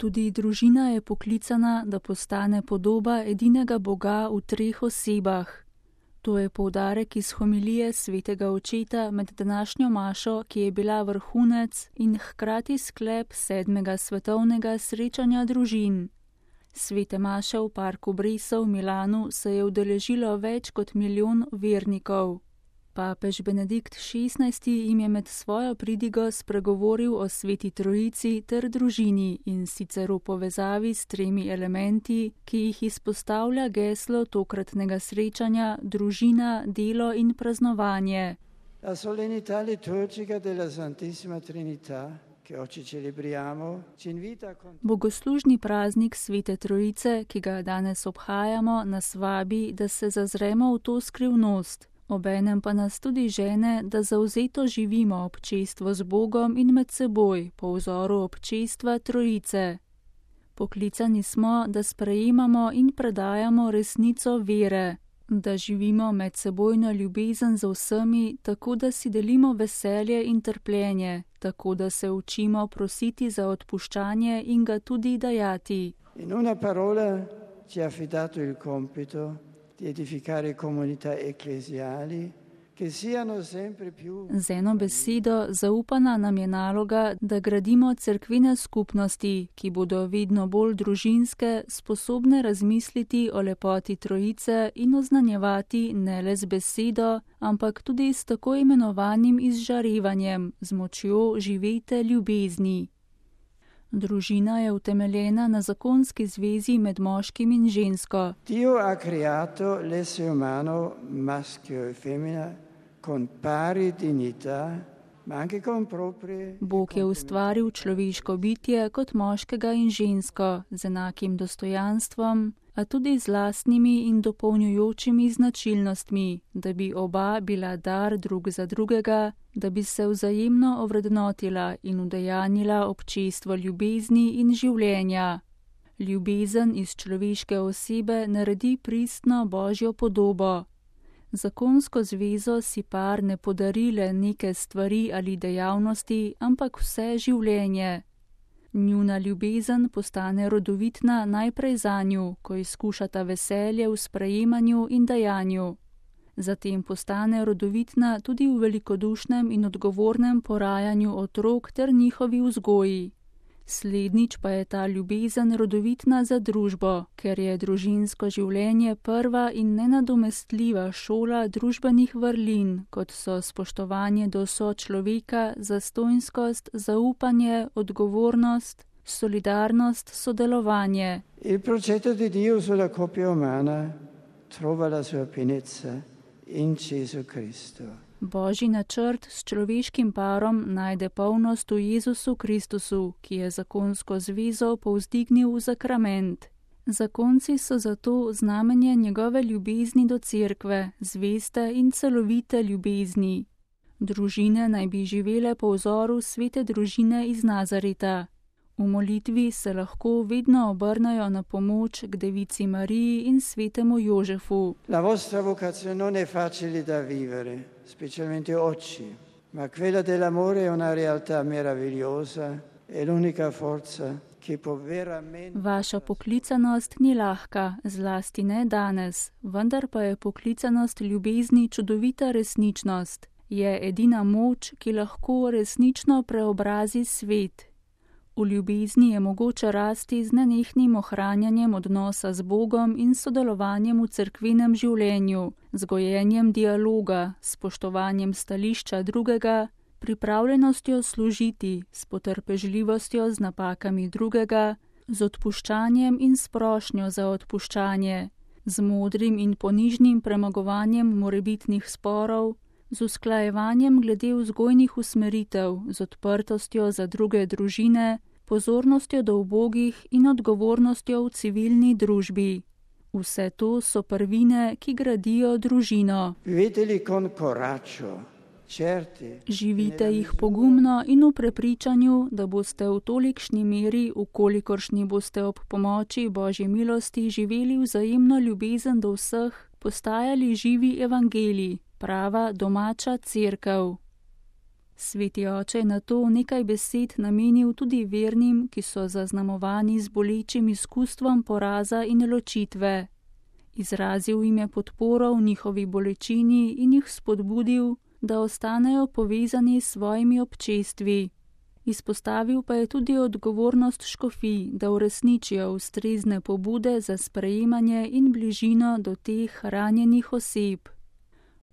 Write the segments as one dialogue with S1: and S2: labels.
S1: Tudi družina je poklicana, da postane podoba edinega Boga v 3 osebah. To je poudarek iz homilije svetega očeta med današnjo mašo, ki je bila vrhunec in hkrati sklep 7. svetovnega srečanja družin. Svete maše v parku Bresa v Milanu se je udeležilo več kot 1 milijon vernikov. Papež Benedikt XVI jim je med svojo pridigo spregovoril o Sveti Trojici ter družini, in sicer v povezavi s 3 elementi, ki jih izpostavlja geslo tokratnega srečanja: družina, delo in praznovanje.
S2: La solennità liturgica della Santissima Trinità, che oggi celebriamo, ci invita a...
S1: Bogoslužni praznik Svete Trojice, ki ga danes obhajamo, nas vabi, da se zazremo v to skrivnost. Obenem pa nas tudi žene, da zavzeto živimo občestvo z Bogom in med seboj, po vzoru občestva Trojice. Poklicani smo, da sprejemamo in predajamo resnico vere, da živimo medsebojno ljubezen z vsemi, tako da si delimo veselje in trpljenje, tako da se učimo prositi za odpuščanje in ga tudi dajati.
S2: In una parola ci ha affidato il compito di edificare comunità ecclesiali che siano sempre più...
S1: Z eno besedo, zaupana nam je naloga, da gradimo cerkvene skupnosti, ki bodo vedno bolj družinske, sposobne razmisliti o lepoti Trojice in oznanjevati ne le z besedo, ampak tudi s tako imenovanim izžarevanjem, z močjo živete ljubezni. Družina je utemeljena na zakonski zvezi med moškim in žensko.
S2: Dio ha creato l'essere umano, maschio e femmina, con pari dignità, ma anche con proprie...
S1: Bog je ustvaril človeško bitje kot moškega in žensko z enakim dostojanstvom, a tudi z lastnimi in dopolnjujočimi značilnostmi, da bi oba bila dar drug za drugega, da bi se vzajemno ovrednotila in udejanila občestvo ljubezni in življenja. Ljubezen iz človeške osebe naredi pristno Božjo podobo. Zakonsko zvezo si par ne podari le neke stvari ali dejavnosti, ampak vse življenje. Njuna ljubezen postane rodovitna najprej zanju, ko izkušata veselje v sprejemanju in dajanju. Zatem postane rodovitna tudi v velikodušnem in odgovornem porajanju otrok ter njihovi vzgoji. Slednjič pa je ta ljubezen rodovitna za družbo, ker je družinsko življenje prva in nenadomestljiva šola družbenih vrlin, kot so spoštovanje do sočloveka, zastonjskost, zaupanje, odgovornost, solidarnost, sodelovanje.
S2: Il progetto di Dio sulla coppia umana trova la sua pienezza in Gesù Cristo.
S1: Božji načrt s človeškim parom najde polnost v Jezusu Kristusu, ki je zakonsko zvezo povzdignil v sakrament. Zakonci so zato znamenje njegove ljubezni do cerkve, zveste in celovite ljubezni. Družine naj bi živele po vzoru svete družine iz Nazareta. V molitvi se lahko vedno obrnejo na pomoč k Devici Mariji in svetemu Jožefu.
S2: La vostra vocazione non è facile da vivere, specialmente oggi, ma quella dell'amore è una realtà meravigliosa, è l'unica forza che può veramente...
S1: Vaša poklicanost ni lahka, zlasti ne danes, vendar pa je poklicanost ljubezni čudovita resničnost. Je edina moč, ki lahko resnično preobrazi svet. V ljubezni je mogoče rasti z nenehnim ohranjanjem odnosa z Bogom in sodelovanjem v cerkvenem življenju, z gojenjem dialoga, spoštovanjem stališča drugega, pripravljenostjo služiti, s potrpežljivostjo z napakami drugega, z odpuščanjem in s prošnjo za odpuščanje, z modrim in ponižnim premagovanjem morebitnih sporov, z usklajevanjem glede vzgojnih usmeritev, z odprtostjo za druge družine, pozornostjo do ubogih in odgovornostjo v civilni družbi. Vse to so prvine, ki gradijo družino. Živite jih pogumno in v prepričanju, da boste v tolikšni meri, v kolikoršni boste ob pomoči Božje milosti živeli vzajemno ljubezen do vseh, postajali živi evangeliji, prava domača cerkev. Sveti oče je na to nekaj besed namenil tudi vernim, ki so zaznamovani z bolečim izkustvom poraza in ločitve. Izrazil jim je podporo v njihovi bolečini in jih spodbudil, da ostanejo povezani s svojimi občestvi. Izpostavil pa je tudi odgovornost škofij, da uresničijo ustrezne pobude za sprejemanje in bližino do teh ranjenih oseb.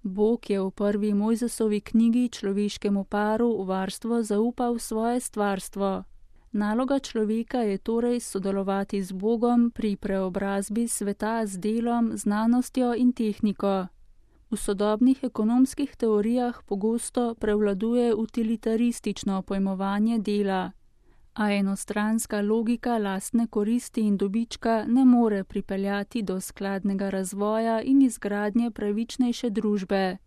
S1: Bog je v prvi Mojzesovi knjigi človeškemu paru v varstvo zaupal svoje stvarstvo. Naloga človeka je torej sodelovati z Bogom pri preobrazbi sveta z delom, znanostjo in tehniko. V sodobnih ekonomskih teorijah pogosto prevladuje utilitaristično pojmovanje dela, a enostranska logika lastne koristi in dobička ne more pripeljati do skladnega razvoja in izgradnje pravičnejše družbe.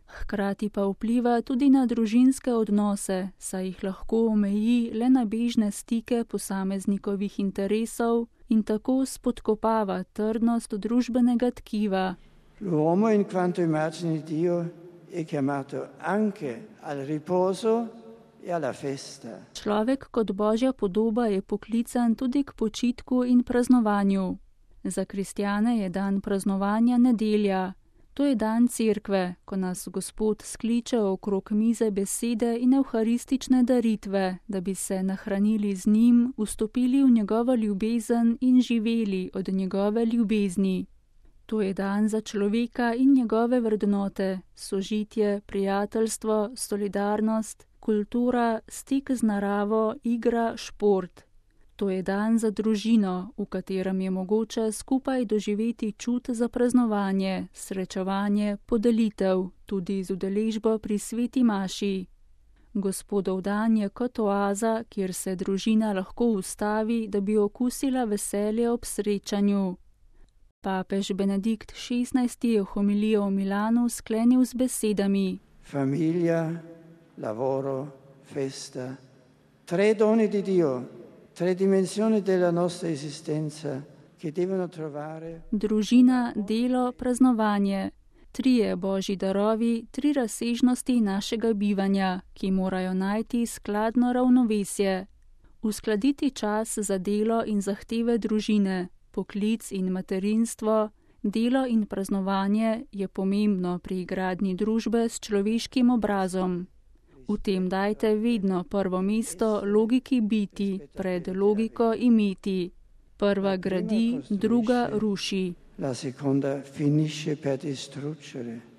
S1: Hkrati pa vpliva tudi na družinske odnose, saj jih lahko omeji le na bežne stike posameznikovih interesov in tako spodkopava trdnost družbenega tkiva.
S2: L'uomo in quanto immagine di Dio è chiamato anche al riposo e alla festa.
S1: Človek kot Božja podoba je poklican tudi k počitku in praznovanju. Za kristjane je dan praznovanja nedelja. To je dan cerkve, ko nas Gospod skliče okrog mize besede in evharistične daritve, da bi se nahranili z njim, vstopili v njegovo ljubezen in živeli od njegove ljubezni. To je dan za človeka in njegove vrednote, sožitje, prijateljstvo, solidarnost, kultura, stik z naravo, igra, šport. To je dan za družino, v katerem je mogoče skupaj doživeti čut za praznovanje, srečevanje, podelitev, tudi z udeležbo pri sveti maši. Gospodov dan je kot oaza, kjer se družina lahko ustavi, da bi okusila veselje ob srečanju. Papež Benedikt XVI je homilijo v Milanu sklenil z besedami:
S2: Famiglia, lavoro, festa, tre doni di Dio, tre dimensioni della nostra esistenza che devono trovare. Družina,
S1: delo, praznovanje. Trije božji darovi, tri razsežnosti našega bivanja, ki morajo najti skladno ravnovesje. Uskladiti čas za delo in zahteve družine, poklic in materinstvo, delo in praznovanje je pomembno pri gradnji družbe s človeškim obrazom. V tem dajte vedno prvo mesto logiki biti pred logiko imeti. Prva gradi, druga ruši.
S2: La seconda finisce per distruggere.